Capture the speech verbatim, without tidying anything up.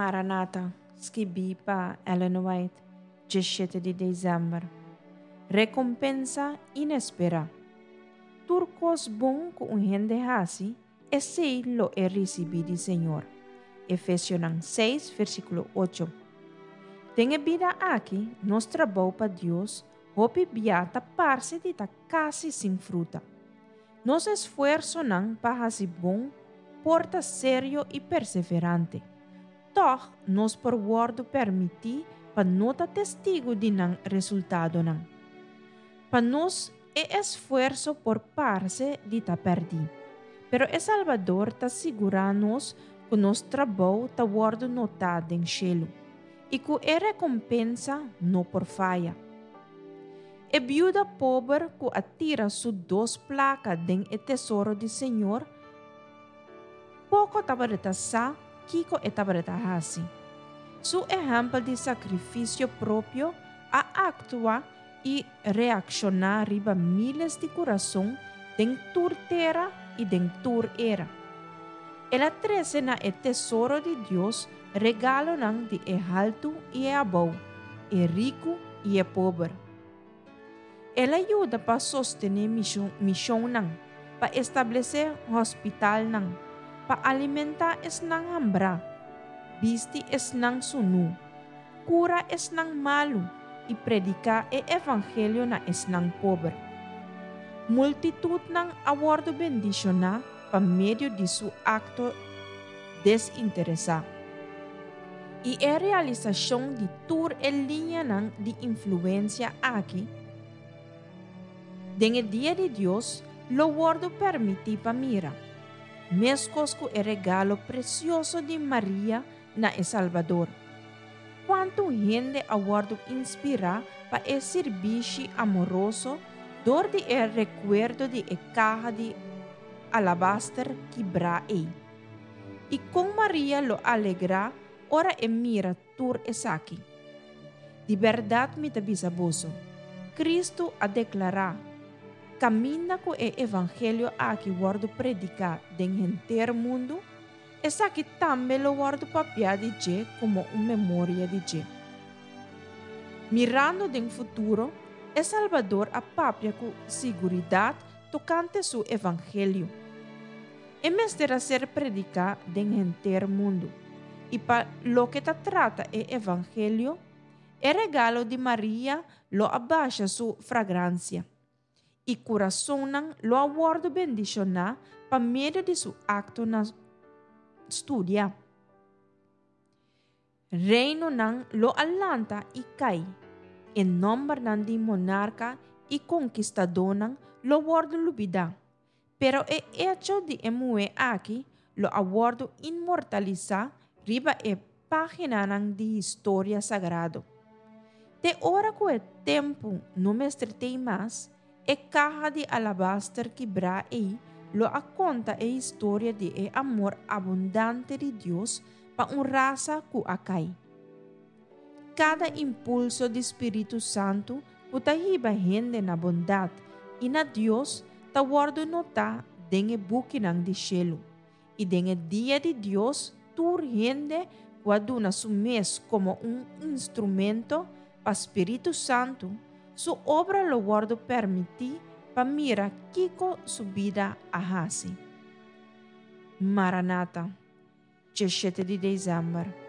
Maranata, skibí pa Ellen White, diesshete di desèmber. Rekompensa inesperá. Tur kos bon ku un hende hasi, esei lo e risibí di Señor. Efesionan seis, versíkulo ocho. Den e bida aki, nos trabou pa Dios hopi bia ta parse di ta kasi sin fruta. Nos esfuersonan pa hasi bon por ta serio i perseverante. Tòg nos por wòrdu permití pa no ta testigu di nan resultadonan. Pa nos e esfuerso por parse di ta pèrdí. Pero e Salbador ta sigurá nos ku nos trabou ta wòrdu notá den shelu i ku e rekompensa no por faya. E biuda pober ku a tira su dos plaka den e tesoro di Señor, poko tabata sa kiko e tabata hasi. Su ehèmpel di sakrifisio propio a aktua i reakshoná riba míles di kurason den tur tera i den tur era. El a trese na e tesoro di Dios regalonan di e haltu i e abou, e riku i e pober. El a yuda pa sostené mishonnan, pa establesé hospitalnan, pa alimentá esnan hambrá, bisti esnan sunú, kura esnan malu i prediká e evangelio na esnan pober. Multitutnan a wòrdu bendishoná pa medio di su akto desinteresá. I e realisashon di tur e liñanan di influensia aki den e dia di Dios lo wòrdu permití pa mira, meskos ku e regalo presioso di Maria na e Salbador. Kuantu hende a wòrdu inspirá pa e sirbishi amoroso dor di e rekuerdo di e kaha di alabaster kibrá ei! I kon Maria lo alegrá ora e mira tur esaki! Di bèrdat mi ta bisa boso, Kristu a deklará, Kaminda ku e evangelio aki wòrdu prediká den henter mundu, esaki tambe lo wòrdu papiá di dje komo un memoria di dje. Mirando den futuro, e Salbador a papia ku siguridat tokante su evangelio. E mester a ser prediká den henter mundu. I pa loke ta trata e evangelio, e regalo di Maria lo a basha su fragransia, i kurasonnan lo a wòrdu bendishoná pa medio di su akto na studia. Reinonan lo a lanta i kai, e nòmbernan di monarka i konkistadónan lo wòrdu lubidá, pero e echo di e muhé aki lo a wòrdu inmortalisá riba e páginanan di historia sagrado. Te ora ku e tempu no mester t'ei mas, e kaha di alabaster kibrá ei lo a konta e historia di e amor abundante di Dios pa un rasa ku a kai. Kada impulso di Spiritu Santu ku ta hiba hende na bondat i na Dios ta wòrdu notá den e bukinan di shelu, i den e dia di Dios tur hende ku a duna su mes komo un instrumento pa Spiritu Santu su obra lo wòrdu permití pa mira kiko su bida a hasi. Maranata, diesshete di desèmber.